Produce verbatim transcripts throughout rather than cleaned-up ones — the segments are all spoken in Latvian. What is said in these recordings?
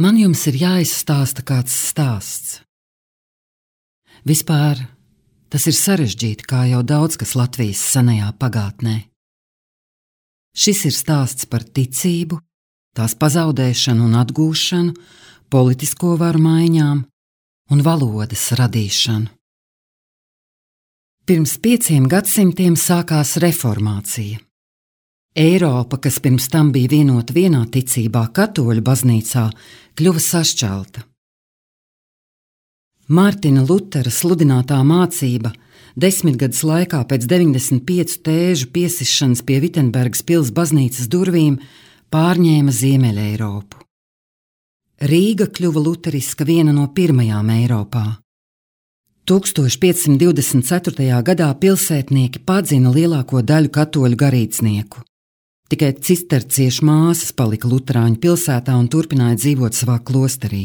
Man jums ir jāizstāsta kāds stāsts. Vispār tas ir sarežģīti, kā jau daudz kas Latvijas senajā pagātnē. Šis ir stāsts par ticību, tās pazaudēšanu un atgūšanu, politisko varu maiņām un valodas radīšanu. Pirms pieciem gadsimtiem sākās reformācija. Eiropa, kas pirms tam bija vienota vienā ticībā, katoļu baznīcā, kļuva sašķelta. Mārtiņa Lutera sludinātā mācība desmitgades laikā pēc deviņdesmit piecu tēžu piesišanas pie Vitsenbergas pils baznīcas durvīm pārņēma Ziemeļa Eiropu. Rīga kļuva luteriska viena no pirmajām Eiropā. tūkstoš piecsimt divdesmit ceturtajā gadā pilsētnieki padzina lielāko daļu katoļu garīdznieku. Tikai cisterciešu māsas palika luterāņu pilsētā un turpināja dzīvot savā klosterī.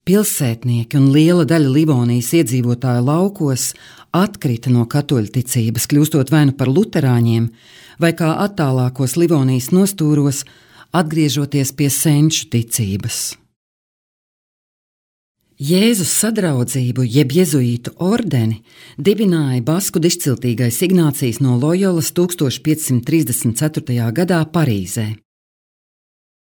Pilsētnieki un liela daļa Livonijas iedzīvotāju laukos atkrita no katoļu ticības, kļūstot vai nu par luterāņiem, vai kā attālākos Livonijas nostūros, atgriežoties pie senču ticības. Jēzus sadraudzību, jeb jezuītu ordeni, dibināja basku dižciltīgais Ignācijs no Lojolas tūkstoš piecsimt trīsdesmit ceturtajā gadā Parīzē.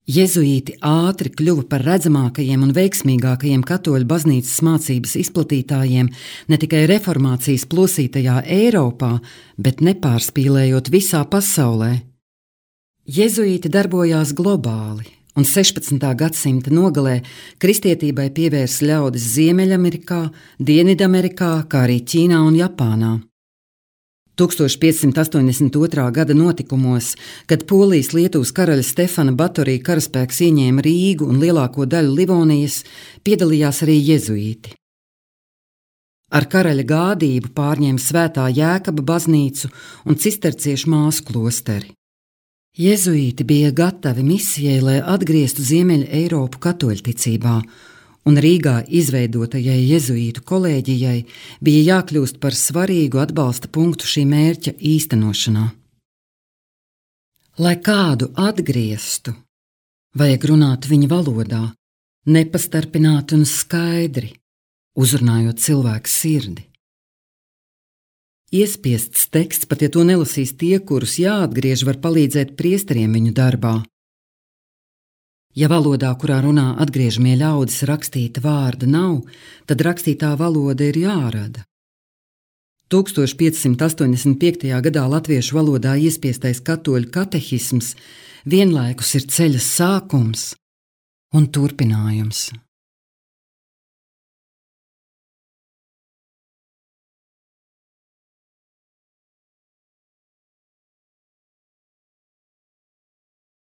Jezuīti ātri kļuva par redzamākajiem un veiksmīgākajiem katoļu baznīcas mācības izplatītājiem ne tikai reformācijas plosītajā Eiropā, bet nepārspīlējot visā pasaulē. Jezuīti darbojās globāli, un sešpadsmitā gadsimta nogalē kristietībai pievērsa ļaudis Ziemeļamerikā, Dienvidamerikā, kā arī Ķīnā un Japānā. tūkstoš piecsimt astoņdesmit otrā gada notikumos, kad Polijas-Lietuvas karaļa Stefana Batorija karaspēks ieņēma Rīgu un lielāko daļu Livonijas, piedalījās arī jezuīti. Ar karaļa gādību pārņēma Svētā Jēkaba baznīcu un cisterciešu māsu klosteri. Jezuīti bija gatavi misijai, lai atgrieztu Ziemeļa Eiropu katoļticībā, un Rīgā izveidotajai jezuītu kolēģijai bija jākļūst par svarīgu atbalsta punktu šī mērķa īstenošanā. Lai kādu atgrieztu, vajag runāt viņa valodā, nepastarpināti un skaidri, uzrunājot cilvēku sirdi. Iespiests teksts, pat ja to nelasīs tie, kurus jāatgriež, var palīdzēt priesteriem viņu darbā. Ja valodā, kurā runā atgriežamie ļaudis, rakstīta vārda nav, tad rakstītā valoda ir jārada. tūkstoš piecsimt astoņdesmit piektajā gadā latviešu valodā iespiestais katoļu katehisms vienlaikus ir ceļa sākums un turpinājums.